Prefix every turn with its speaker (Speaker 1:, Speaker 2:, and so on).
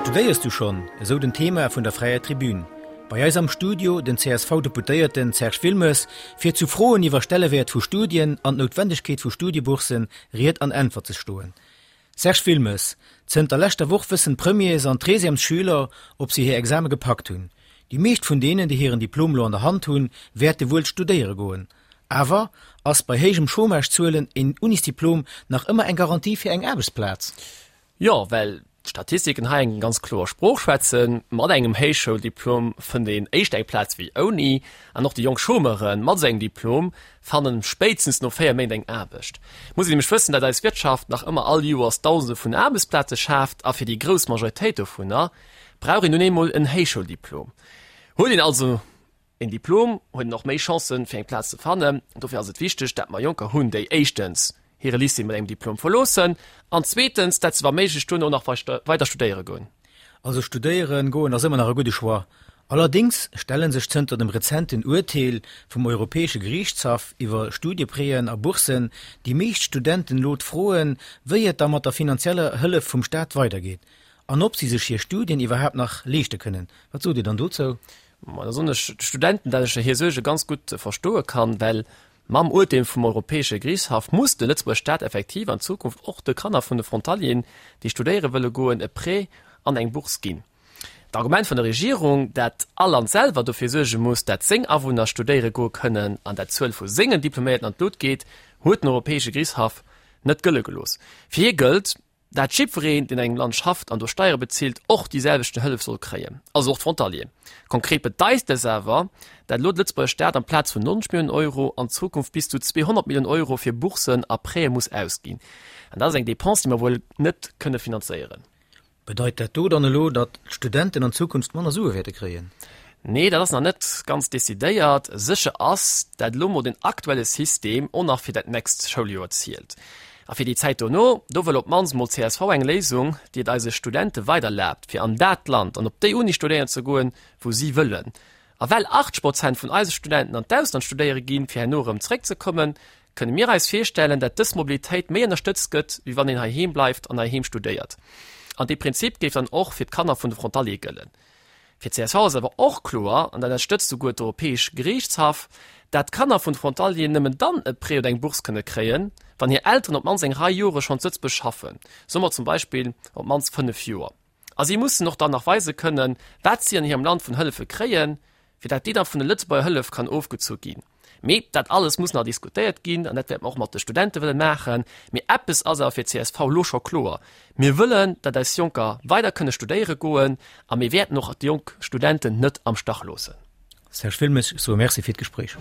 Speaker 1: Studéiers du schonn? Esou den Thema vun der Fräier Tribün. Bei eis am Studio den CSV-Deputéierten Serge Wilmes, fir zu Froen iwwer Stellewäert vu Studien an d'Noutwendegkeet vu Studiebourssen Ried an Äntwert ze stoen. Serge Wilmes, Zënter leschter Woch wëssen d'Premiers an d'Treizièmesschüler, ob se hir Exame gepackt hunn. Déi meescht vun deenen, déi hiren Diplom lo an der Hand hunn, wäerte wuel studéiere goen. Awer, ass bei héijem Chômage-Zuelen een Unisdiplom nach ëmmer eng Garantie fir eng Aarbechtsplaz?
Speaker 2: Jo, well d'Statistiken hei eng ganz kloer Sprooch schwätzen, Mat engem Héichschouldiplom fënnt een éischter eng Plaz wéi ouni. An och déi jonk Chômeuren mat esou engem Diplom fannen spéitstens no 4 Méint eng Aarbecht. Et muss een nämlech wëssen, dat eis Wirtschaft nach ëmmer all Joers Dausende vun Aarbechtsplaze schaaft a fir déi grouss Majoritéit dovunner brauch een nun eemol en Héichschouldiplom. Huet een also een Diplom, huet een och méi Chancen, fir eng Plaz ze fannen. Dofir ass et wichteg, dat mer Jonker hunn, déi éischtens hire Lycée mat engem Diplom verloossen an zweetens, dat se wa méiglech duerno nach weider studéiere goen.
Speaker 1: Also studéiere goen ass ëmmer nach e gudde Choix. Allerdéngs stelle sech zënter dem rezenten Urteel vum Europäesche Geriichtshaff iwwer Studiepréen a Bourssen déi meescht Studenten elo d'Froen, wéi et da mat der finanzieller Hëllef vum Staat weidergeet an ob si sech hir Studien iwwerhaapt nach leeschte kënnen. Wat sot Dir dann dozou?
Speaker 2: Ma da soen ech de Studenten, dat ech hir Suerge ganz gutt verstoe kann, well mam Urteel vum Europäesche Geriichtshaff muss de Lëtzebuerger Staat effektiv an Zukunft och de Kanner vun de Frontalieren, déi studéiere wëlle goen, e Prêt an eng Bourse ginn. D'Argument vun der Regierung, dat all Land selwer dofir suerge muss, dat seng Awunner studéiere goe kënnen an dat d'Zuel vu sengen Diploméierten an d'Lut geet, huet den Europäesche Geriichtshaff net gëlle gelooss. Fir hie gëllt, dat jiddwereen, deen an engem Land schafft an do Steiere bezilt, och déi selwechten Hëllef soll kréien, also och d'Frontalier. Konkret bedeit dës awer, dat elo de Lëtzebuerger Staat amplaz vun 90 Milliounen Euro an Zukunft bis zu 200 Milliounen Euro fir Bourssen a Prêtë muss ausginn. An dat ass eng Dépense, déi mer wuel net kënne finanzéieren.
Speaker 1: Bedeit dat do dann elo, datt d'Studenten an Zukunft manner Sue wäerte kréien?
Speaker 2: Nee, dat ass nach net ganz decidéiert. Sécher ass, dat elo mol den aktuelle System och nach fir dat nächst Schouljoer zielt. A fir déi Zäit dono, do wëll op d'mannst mol csv eng Léisung, déi et eise Studente weider erlaabt, fir an dat Land an op déi Uni studéieren ze goen, wou si wëllen. A well 80 Prozent vun eise Studenten an d'Ausland studéiere ginn, fir herno erëm zeréckzekommen, kënne mir eis virstellen, dat dës Mobilitéit méi ënnerstëtzt gëtt, wéi wann een heiheem bleift an heiheem studéiert. An dee Prinzip géif dann och fir d'Kanner vun de Frontaliere gëllen. Fir csv ass awer och kloer, an dat ënnerstëtzt souguer d'Europäesch Geriichtshaff, dat d'Kanner vun de Frontalieren nëmmen dann e Prêt oder eng Bourse kënne kréien, wann hir Elteren op d'mannst eng Rei Jore schonn zu Lëtzebuerg schaffen, soe mer zum Beispill op d'mannst 5 Joer. A si mussen och dann nach weise kënnen, wat si an hirem Land vun Hëllefe kréien, fir dat déi da vun de Lëtzebuerger Hëllef kann ofgezu ginn. Mee dat alles muss nach diskutéiert ginn an dat wäerte mer och mat de Studente wëlle maachen. Mee eppes ass awer fir csv elo scho kloer, Mir wëllen, dat eis Jonker weider kënne studéiere goen a mir wäerten och déi jonk Studenten net am Stach loossen.
Speaker 1: Serge Wilmes, ech soe Merci fir d'Gespréich.